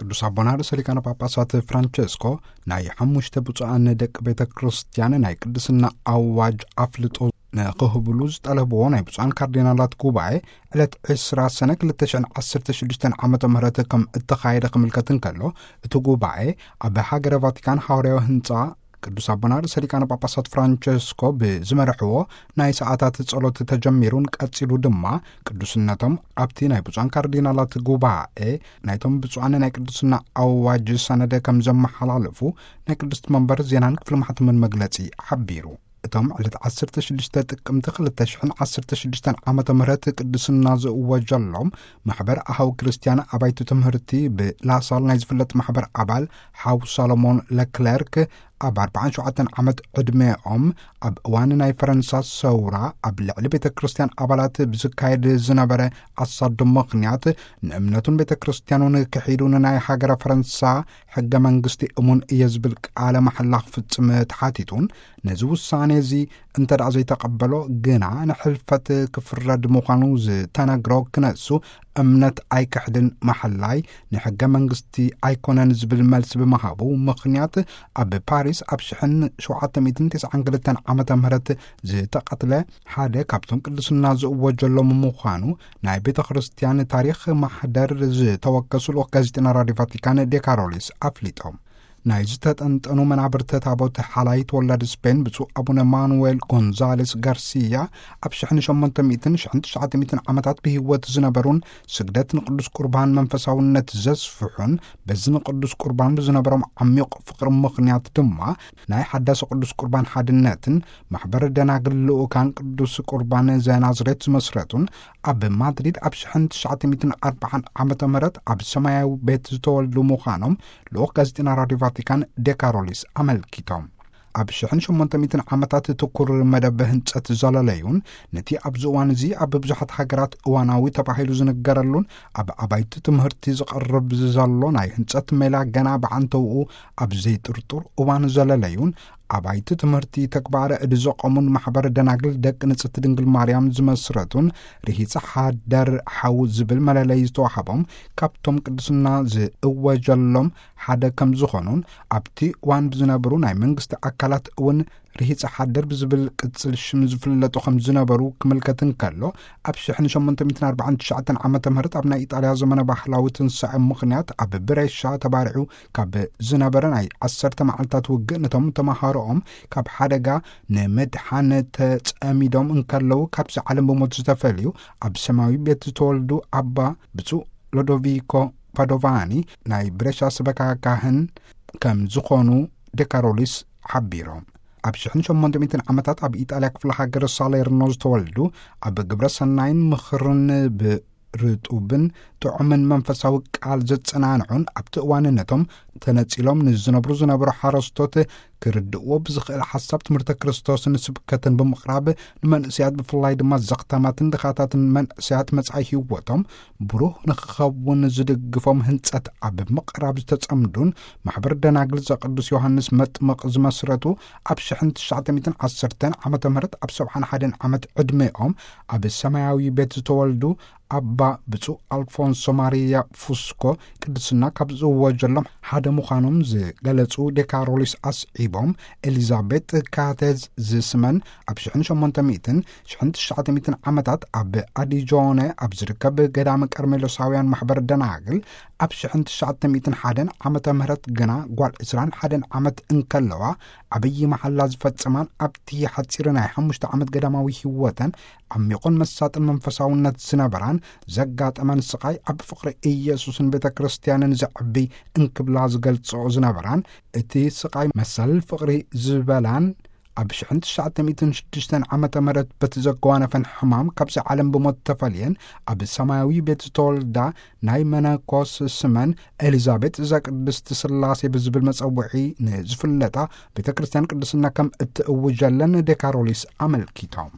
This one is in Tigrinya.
ቅዱስ ኣቦና ርእሰ ሊቃነ ጳጳሳት ፍራንቸስኮ ናይ ሓሙሽተ ብፁዓን ደቂ ቤተ ክርስቲያን ናይ ቅድስና ኣዋጅ ኣፍልጦ ንክህብሉ ዝጠለብዎ ናይ ብፁዓን ካርዲናላት ጉባኤ ዕለት ዕስራ ሰነ ክልተ ሽሕን ዓሰርተ ሽዱሽተን ዓመተ ምህረት ከም እተኻየደ ክምልከት እንከሎ፣ እቲ ጉባኤ ኣብ ሃገረ ቫቲካን ሃዋርያዊ ህንፃ ቅዱስ ኣቦና ርእሰ ሊቃነ ጳጳሳት ፍራንቸስኮ ብዝመርሕዎ ናይ ሰዓታት ጸሎት ተጀሚሩን ቀጺሉ ድማ ቅዱስነቶም ኣብቲ ናይ ብፁዓን ካርዲናላት ጉባኤ ናይቶም ብፁዓን ናይ ቅድስና ኣዋጅ ሰነደ ከም ዘመሓላለፉ ናይ ቅድስት መንበር ዜናን ክፍሊ ማሕተምን መግለጺ ሓቢሩ። እቶም ዕለት ዓሰርተ ሽዱሽተ ጥቅምቲ ክልተ ሽሕን ዓሰርተ ሽዱሽተን ዓመተ ምህረት ቅድስና ዝእወጀሎም ማሕበር ኣሃው ክርስቲያን ኣባይቲ ትምህርቲ ብላሳል ናይ ዝፍለጥ ማሕበር ኣባል ሓው ሳሎሞን ለክለርክ ኣብ ኣርባዓን ሸውዓተን ዓመት ዕድሜኦም ኣብ እዋን ናይ ፈረንሳ ሰውራ ኣብ ልዕሊ ቤተ ክርስቲያን ኣባላት ብዝካየድ ዝነበረ ኣሳዶ ምኽንያት ንእምነቱን ቤተ ክርስቲያኑን ክሒዱ ንናይ ሃገረ ፈረንሳ ሕገ መንግስቲ እሙን እየ ዝብል ቃለ ማሕላ ክፍጽም ተሓቲቱን ነዚ ውሳኔ እዚ እንተ ደኣ ዘይተቐበሎ ግና ንሕልፈት ክፍረድ ምዃኑ ዝተነግሮ ክነሱ እምነት ኣይክሕድን ማሕላይ ንሕገ መንግስቲ ኣይኮነን ዝብል መልሲ ብምሃቡ ምኽንያት ኣብ ፓሪስ ኣብ ሽሕን ሸውዓተ ሚእትን ተስዓን ክልተን ዓመተ ምህረት ዝተቐትለ ሓደ ካብቶም ቅድስና ዝእወጀሎም ምዃኑ ናይ ቤተ ክርስቲያን ታሪኽ ማሕደር ዝተወከሱ ልኡኽ ጋዜጠና ራዲዮ ቫቲካን ዴካሮሊስ ኣፍሊጦም። ናይ ዝተጠንጠኑ መናብርተ ታቦት ሓላይ ተወላዲ ስፔን ብፁዕ ኣቡነ ማኑዌል ጎንዛሌስ ጋርሲያ ኣብ ሽሕን ሸሞንተ ሚእትን ሽሕን ትሽዓተ ሚእትን ዓመታት ብህይወት ዝነበሩን ስግደት ንቅዱስ ቁርባን መንፈሳውነት ዘስፍሑን በዚ ንቅዱስ ቁርባን ብዝነበሮም ዓሚቕ ፍቕሪ ምኽንያት ድማ ናይ ሓዳስ ቅዱስ ቁርባን ሓድነትን ማሕበር ደናግል ልኡካን ቅዱስ ቁርባን ዘናዝሬት ዝመስረቱን ኣብ ማድሪድ ኣብ ሽሕን ትሽዓተ ሚእትን ኣርባዓን ዓመተ ምህረት ኣብ ሰማያዊ ቤት ዝተወልዱ ምዃኖም ልኡኽ ጋዜጠና ራዲዮ ቫቲካን ዴካሮሊስ ኣመልኪቶም። ኣብ ሽሕን ሸሞንተ ሚእትን ዓመታት ትኩር መደብ ህንጸት ዘለለዩን ነቲ ኣብዚ እዋን እዚ ኣብ ብዙሓት ሃገራት እዋናዊ ተባሂሉ ዝንገረሉን ኣብ ኣባይቲ ትምህርቲ ዝቐርብ ዘሎ ናይ ህንጸት ሜላ ገና ብዓንተውኡ ኣብ ዘይጥርጡር እዋን ዘለለዩን ኣባይቲ ትምህርቲ ተግባረ እዲ ዘቆሙን ማሕበር ደናግል ደቂ ንጽሕቲ ድንግል ማርያም ዝመስረቱን ርሂጸ ሓደር ሓው ዝብል መለለይ ዝተዋህቦም ካብቶም ቅድስና ዝእወጀሎም ሓደ ከም ዝኾኑን ኣብቲ እዋን ብዝነበሩ ናይ መንግስቲ ኣካላት እውን ርሂጸ ሓደር ብዝብል ቅጽል ሽም ዝፍለጡ ከም ዝነበሩ ክምልከት እንከሎ ኣብ ሽሕን ሸሞንተ ሚእትን ኣርባዓን ትሽዓተን ዓመተ ምህረት ኣብ ናይ ኢጣልያ ዘመነ ባህላዊ ትንሳኤ ምኽንያት ኣብ ብሬሻ ተባሪዑ ካብ ዝነበረ ናይ ዓሰርተ መዓልታት ውግእ ነቶም ተመሃሮኦም ካብ ሓደጋ ንምድሓን ተጸሚዶም እንከለዉ ካብዚ ዓለም ብሞት ዝተፈልዩ ኣብ ሰማያዊ ቤት ዝተወልዱ ኣባ ብፁዕ ሎዶቪኮ ፓዶቫኒ ናይ ብሬሻ ሰበካ ካህን ከም ዝኾኑ ዴካሮሊስ ሓቢሮም። ኣብ ሽሕን ሸሞንተ ሚእትን ዓመታት ኣብ ኢጣልያ ክፍለ ሃገር ሳሌርኖ ዝተወልዱ ኣብ ግብረ ሰናይን ምኽርን ብርጡብን ጥዑምን መንፈሳዊ ቃል ዘጸናንዑን ኣብቲ እዋንነቶም ተነጺሎም ንዝነብሩ ዝነበሩ ሓረስቶት ክርድእዎ ብዝኽእል ሓሳብ ትምህርተ ክርስቶስን ስብከትን ብምቕራብ ንመንእሰያት ብፍላይ ድማ ዘኽታማትን ድኻታትን መንእሰያት መጻኢ ህይወቶም ብሩህ ንክኸውን ዝድግፎም ህንጸት ኣብ ምቕራብ ዝተጸምዱን ማሕበር ደናግል ዘቅዱስ ዮሃንስ መጥምቕ ዝመስረቱ ኣብ ሽሕን ትሽዓተ ሚእትን ዓሰርተን ዓመተ ምህረት ኣብ ሰብዓን ሓደን ዓመት ዕድሜኦም ኣብ ሰማያዊ ቤት ዝተወልዱ ኣባ ብፁዕ ኣልፎንሶ ማሪያ ፉስኮ ቅድስና ካብ ዝእወጀሎም ሓደ ምዃኖም ዝገለጹ ዴካሮሊስ ኣስዒቦም ኤሊዛቤጥ ካቴዝ ዝስመን ኣብ ሽሕን ሸሞንተ ሚእትን ሽሕን ትሽዓተ ሚእትን ዓመታት ኣብ ኣዲጆነ ኣብ ዝርከብ ገዳመ ቀርሜሎሳውያን ማሕበር ደናግል ኣብ ሽሕን ትሽዓተ ሚእትን ሓደን ዓመተ ምህረት ግና ጓል ዕስራን ሓደን ዓመት እንከለዋ ዓብዪ መሓላ ዝፈጸማን ኣብቲ ሓጺር ናይ ሓሙሽተ ዓመት ገዳማዊ ህይወተን ዓሚቑን መሳጥን መንፈሳውነት ዝነበራን ዘጋጠመን ስቓይ ኣብ ፍቕሪ ኢየሱስን ቤተ ክርስቲያንን ዘዕቢ እንክብላ ዝገልጽኦ ዝነበራን እቲ ስቓይ መሰል ፍቕሪ ዝበላን ኣብ ሽሕን ትሽዓተ ሚእትን ሽዱሽተን ዓመተ ምህረት በቲ ዘጓነፈን ሕማም ካብዚ ዓለም ብሞት ተፈልየን ኣብ ሰማያዊ ቤት ዝተወልዳ ናይ መነኮስ ስመን ኤሊዛቤጥ ዘቅድስት ስላሴ ብዝብል መጸውዒ ንዝፍለጣ ቤተ ክርስቲያን ቅድስና ከም እትእውጀለን ዴካሮሊስ ኣመልኪቶም።